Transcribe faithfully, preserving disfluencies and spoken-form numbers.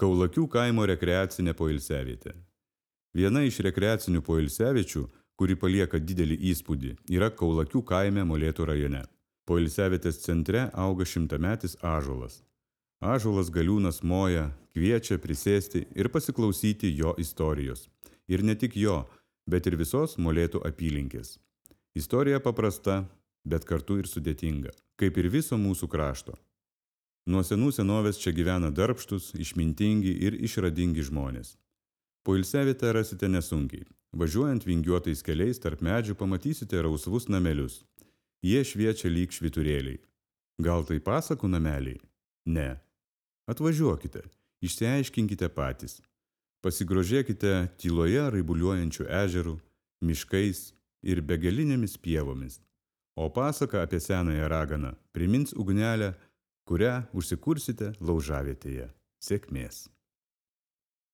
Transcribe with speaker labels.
Speaker 1: Kaulakių kaimo rekreacinė poilsiavietė. Viena iš rekreacinių poilsiaviečių, kuri palieka didelį įspūdį, yra Kaulakių kaime Molėtų rajone. Poilsiavietės centre auga šimtametis ąžuolas. Ąžuolas galiūnas moja, kviečia prisėsti ir pasiklausyti jo istorijos. Ir ne tik jo, bet ir visos Molėtų apylinkės. Istorija paprasta, bet kartu ir sudėtinga, kaip ir viso mūsų krašto. Nuo senų senovės čia gyvena darbštus, išmintingi ir išradingi žmonės. Poilsiavietę rasite nesunkiai. Važiuojant vingiuotais keliais tarp medžių pamatysite rausvus namelius. Jie šviečia lyg švyturėliai. Gal tai pasakų nameliai? Ne. Atvažiuokite, išsiaiškinkite patys. Pasigrožėkite tyloje raibuliuojančių ežerų, miškais ir begalinėmis pievomis. O pasaka apie senąją raganą primins ugnelę, kurią užsikursite laužavietėje. Sėkmės.